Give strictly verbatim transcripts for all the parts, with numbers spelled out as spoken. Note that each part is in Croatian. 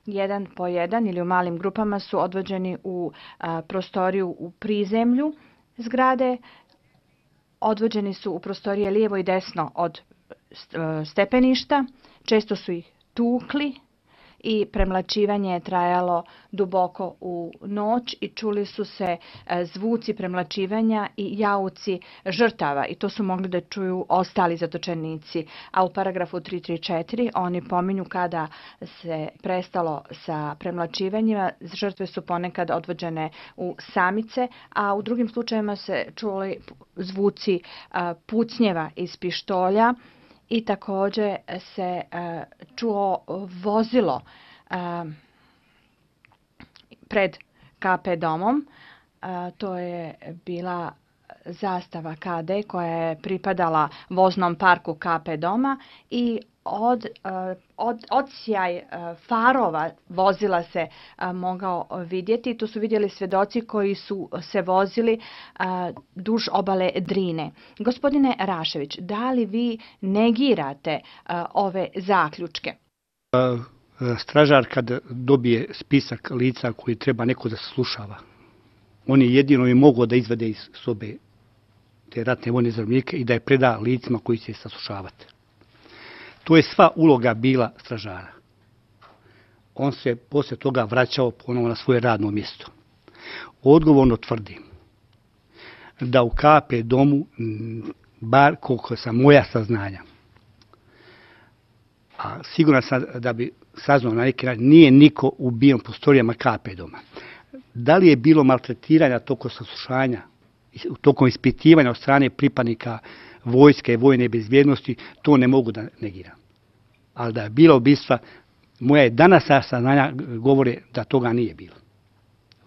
jedan po jedan ili u malim grupama su odvođeni u a, prostoriju u prizemlju zgrade. Odvođeni su u prostorije lijevo i desno od stepeništa. Često su ih tukli i premlaćivanje je trajalo duboko u noć i čuli su se zvuci premlaćivanja i jauci žrtava i to su mogli da čuju ostali zatočenici. A u paragrafu tristo trideset četiri oni pominju kada se prestalo sa premlaćivanjima, žrtve su ponekad odvođene u samice, a u drugim slučajevima se čuli zvuci pucnjeva iz pištolja. I također se uh, čuo vozilo uh, pred K P domom. Uh, to je bila zastava K D koja je pripadala voznom parku K P doma i od, uh, od, odsjaj uh, farova vozila se uh, mogao vidjeti. Tu su vidjeli svjedoci koji su se vozili uh, duž obale Drine. Gospodine Rašević, da li vi negirate uh, ove zaključke? Stražar kad dobije spisak lica koji treba neko da slušava, on je jedino i mogao da izvede iz sobe te ratne vojne zarobljenike i da je preda licima koji će saslušavati. To je sva uloga bila stražara. On se poslije toga vraćao ponovo na svoje radno mjesto. Odgovorno tvrdim da u K P domu, bar koliko sam moja saznanja, a siguran sam da bi saznao na neki način, nije niko ubijen po prostorijama K P doma. Da li je bilo maltretiranja tokom saslušanja, tokom ispitivanja od strane pripadnika vojske i vojne bezbjednosti, to ne mogu da negiram. Ali da je bilo ubistva, moja je danas saznanja govore da toga nije bilo.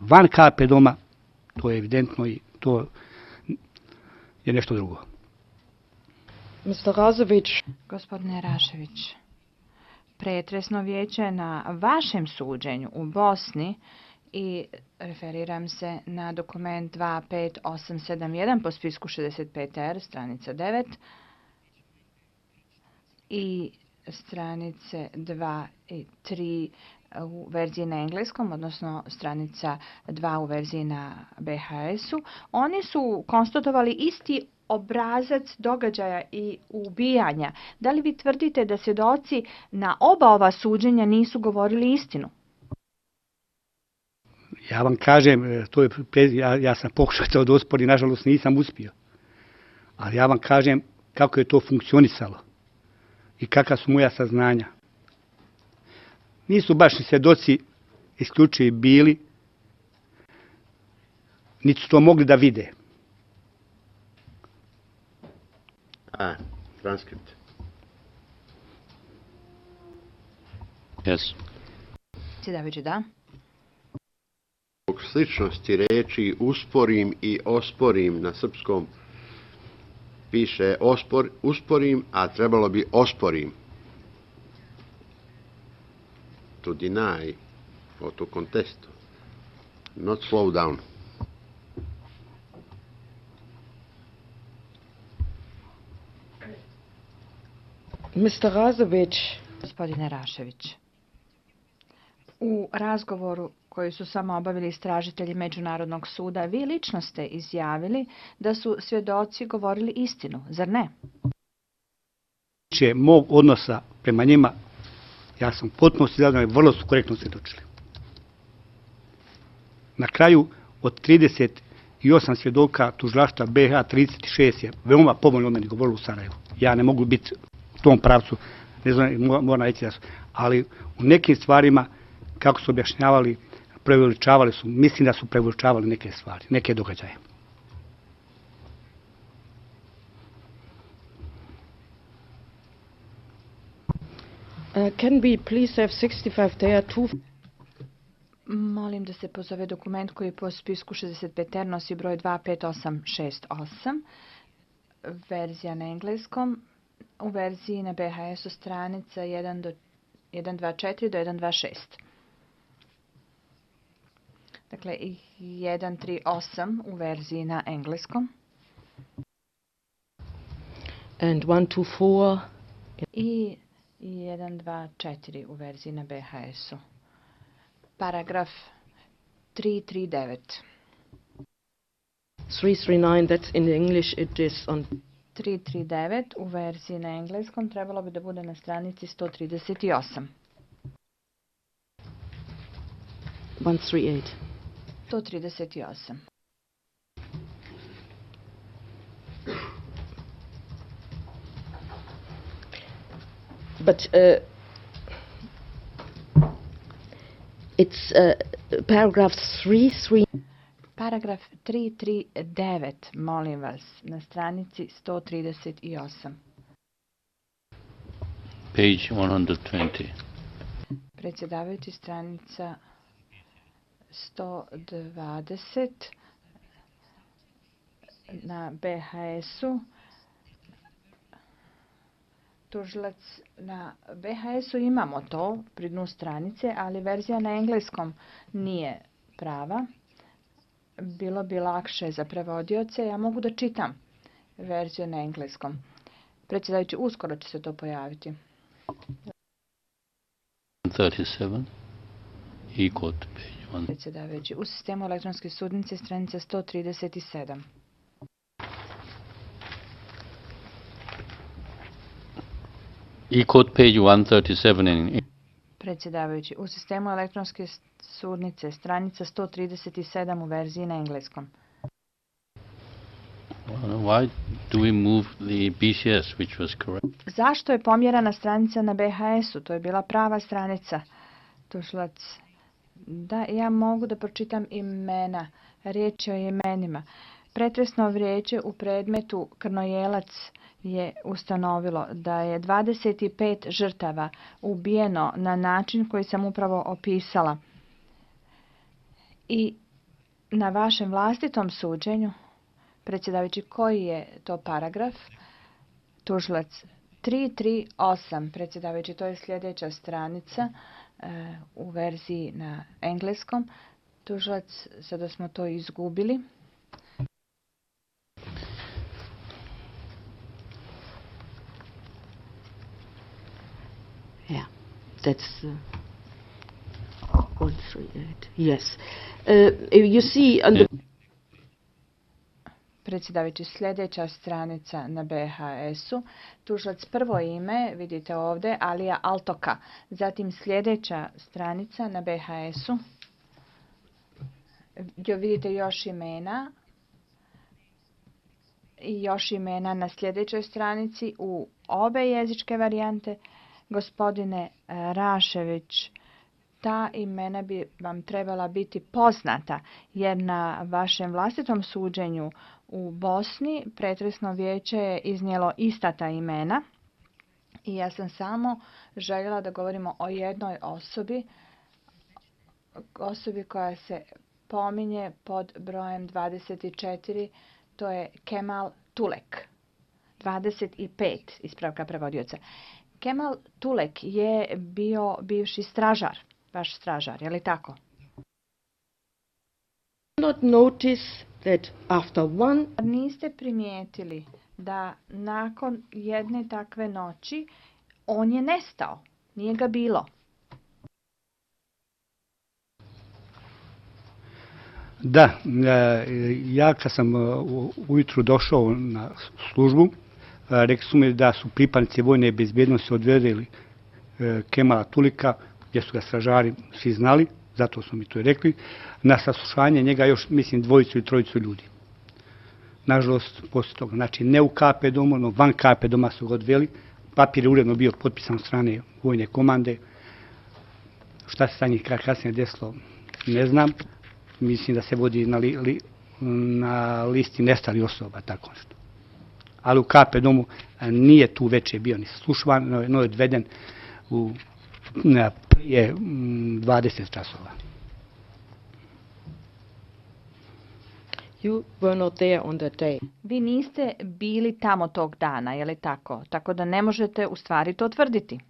Van K P doma, to je evidentno i to je nešto drugo. mister Rašević. Gospodine Rašević, pretresno vijeće na vašem suđenju u Bosni i referiram se na dokument dva pet osam sedam jedan po spisku šezdeset pet R, stranica devet i stranice dva i tri u verziji na engleskom, odnosno stranica dva u verziji na B H S-u. Oni su konstatovali isti obrazac događaja i ubijanja. Da li vi tvrdite da svjedoci na oba ova suđenja nisu govorili istinu? Ja vam kažem, to je, ja, ja sam pokušao to da osporim, nažalost nisam uspio. Ali ja vam kažem kako je to funkcionisalo i kakva su moja saznanja. Nisu baš ni svjedoci isključivi bili, niti su to mogli da vide. A, transkript. Yes. Sjedavići, da. Zbog sličnosti reči usporim i osporim na srpskom piše ospor, usporim, a trebalo bi osporim. To deny or to contest. Not slow down. mister Rašević. Gospodine Rašević, u razgovoru koji su samo obavili istražitelji Međunarodnog suda, vi lično ste izjavili da su svjedoci govorili istinu, zar ne? Če mog odnosa prema njima, ja sam potpuno zadovoljan i vrlo su korektno svjedočili. Na kraju, od trideset osam svjedoka tužilaštva B H trideset šest je veoma povoljno od meni govorilo u Sarajevu. Ja ne mogu biti u tom pravcu, ne znam, moram reći da su, ali u nekim stvarima, kako su objašnjavali, preveličavali su, mislim da su preveličavali neke stvari, neke događaje. Uh, can we please have sixty-five there too? Molim da se pozove dokument koji po spisku šezdeset pet R nosi broj dva pet osam šest osam, verzija na engleskom, u verziji na B H S-u stranica jedan dva četiri do jedan dva šest. Dakle, jedan tri osam u verziji na engleskom. And one two four. I jedan dva četiri u verziji na B H S-u. Paragraf tri tri devet. three three nine, that's in English, it is on tri tri devet u verziji na engleskom trebalo bi da bude na stranici sto trideset osam. one three eight. sto trideset osam. But uh, it's uh, paragraph three three. Paragraf tri tri devet, molim vas, na stranici sto trideset osam. Page one hundred twenty. Predsjedavajući, stranica sto dvadeset na B H S-u. Tužilac na B H S-u imamo to pri dnu stranice, ali verzija na engleskom nije prava. Bilo bi lakše za prevodioce. Ja mogu da čitam verziju na engleskom. Predsjedavajući, uskoro će se to pojaviti. thirty-seven. E-court page one. Predsjedavajući, u sistemu elektronske sudnice stranica sto trideset sedam. E-court page one thirty-seven in Predsjedavajući, u sistemu elektronske sudnice stranica sto trideset sedam u verziji na engleskom. Why do we move the B C S, which was correct? Zašto je pomjerana stranica na B H S-u? To je bila prava stranica. Tužilac, da, ja mogu da pročitam imena. Riječ je o imenima. Pretresno vijeće u predmetu Krnojelac je ustanovilo da je dvadeset pet žrtava ubijeno na način koji sam upravo opisala. I na vašem vlastitom suđenju, predsjedavajući, koji je to paragraf? Tužilac tri tri osam, predsjedavajući, to je sljedeća stranica e, u verziji na engleskom. Tužilac, sada smo to izgubili. Yeah, that's uh, one three eight. Yes, uh, you see on the Predsjedavajući, sljedeća stranica na B H S-u. Tužilac, prvo ime, vidite ovdje, Alija Altoka. Zatim sljedeća stranica na B H S-u. Vidite još imena. I još imena na sljedećoj stranici u obe jezičke varijante. Gospodine Rašević, ta imena bi vam trebala biti poznata, jer na vašem vlastitom suđenju u Bosni pretresno vijeće je iznijelo ista ta imena i ja sam samo željela da govorimo o jednoj osobi, osobi koja se pominje pod brojem dvadeset četiri, to je Kemal Tulek. dvadeset pet, ispravka prevodioca. Kemal Tulek je bio bivši stražar, vaš stražar, je li tako? not notice that after one Niste primijetili da nakon jedne takve noći on je nestao, nije ga bilo. Da, ja kad sam ujutru došao na službu, rekli su mi da su pripadnici vojne bezbjednosti odvedeli Kemala Tulika, gdje su ga stražari svi znali, zato su mi to i rekli, na saslušanje njega još, mislim, dvojicu i trojicu ljudi. Nažalost, poslije toga, znači ne u K P domu, no van K P doma su ga odveli, papir je uredno bio potpisan od strane vojne komande. Šta se sa njih kasnije desilo, ne znam. Mislim da se vodi na, li, li, na listi nestalih osoba, tako nešto. Ali u K P domu nije tu veće bio ni slušvan, no je odveden u na, prije dvadeset časova. you were not there on that day. Vi niste bili tamo tog dana, je li tako? Tako da ne možete u stvari to tvrditi.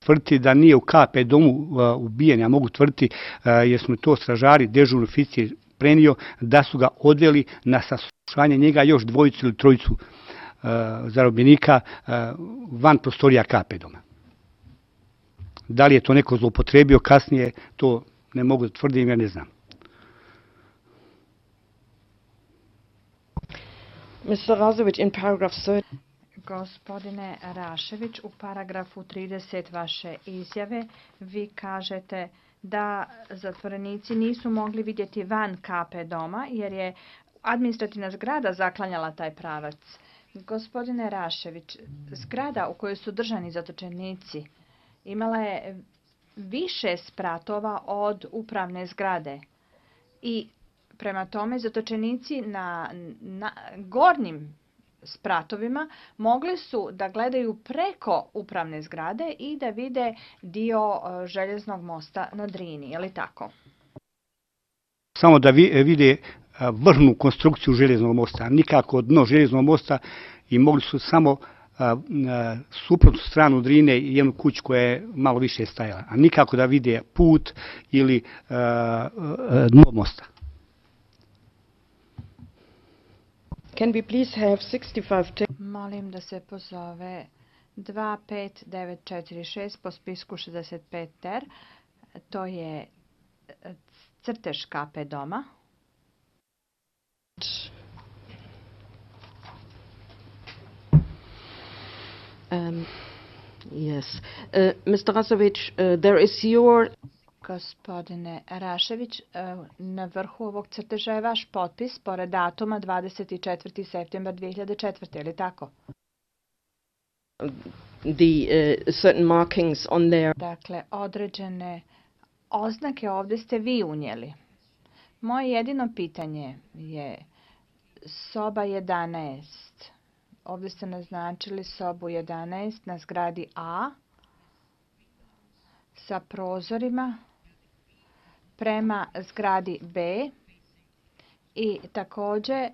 Tvrditi da nije u K P domu uh, ubijen, ja mogu tvrditi, uh, jer smo to stražari, dežurni oficir prenio, da su ga odveli na saslušanje njega još dvojicu ili trojicu uh, zarobljenika uh, van prostorija K P doma. Da li je to neko zloupotrebio kasnije, to ne mogu da tvrdim, ja ne znam. mister Razovic, in paragraph thirty. Gospodine Rašević, u paragrafu trideset vaše izjave vi kažete da zatvorenici nisu mogli vidjeti van K P doma jer je administrativna zgrada zaklanjala taj pravac. Gospodine Rašević, zgrada u kojoj su držani zatočenici imala je više spratova od upravne zgrade i prema tome zatočenici na, na gornjim spratovima mogli su da gledaju preko upravne zgrade i da vide dio željeznog mosta na Drini, je li tako? Samo da vide vrhnu konstrukciju željeznog mosta, nikako dno željeznog mosta i mogli su samo suprotnu stranu Drine i jednu kuću koja je malo više stajala, a nikako da vide put ili dno mosta. Can we please have sixty-five? Molim da se pozove dva pet devet četiri šest po spisku šezdeset pet ter. To je crtež K P doma. Um, yes. Uh, mister Razovic, uh, there is your... Gospodine Rašević, na vrhu ovog crteža je vaš potpis pored datuma dvadeset četvrti septembar dve hiljade četvrte. Je li tako? The uh, certain markings on there. Dakle, određene oznake ovdje ste vi unijeli. Moje jedino pitanje je soba jedanaest. Ovdje ste naznačili sobu jedanaest na zgradi A sa prozorima prema zgradi B i također e,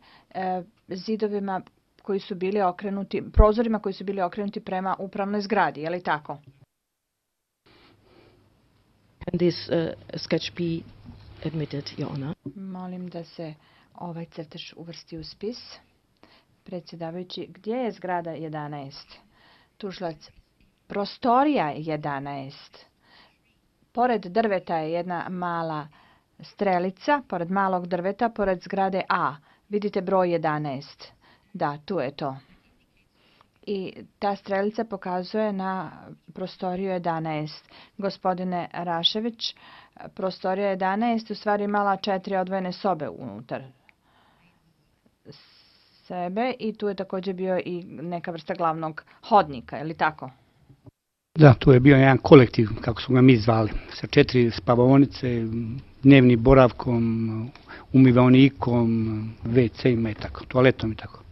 zidovima koji su bili okrenuti, prozorima koji su bili okrenuti prema upravnoj zgradi, je li tako? Can this uh, sketch be admitted, Your Honor? Molim da se ovaj crtež uvrsti u spis. Predsjedavajući, gdje je zgrada jedanaest? Tužilac, prostorija jedanaest. Pored drveta je jedna mala strelica, pored malog drveta, pored zgrade A. Vidite broj jedanaest. Da, tu je to. I ta strelica pokazuje na prostoriju jedanaest. Gospodine Rašević, prostorija jedanaest u stvari imala četiri odvojene sobe unutar sebe i tu je također bio i neka vrsta glavnog hodnika, je li tako? Da, to je bio jedan kolektiv, kako smo ga mi zvali, sa četiri spavaonice, dnevnim boravkom, umivaonikom, ve ce ima i tako, toaletom i tako.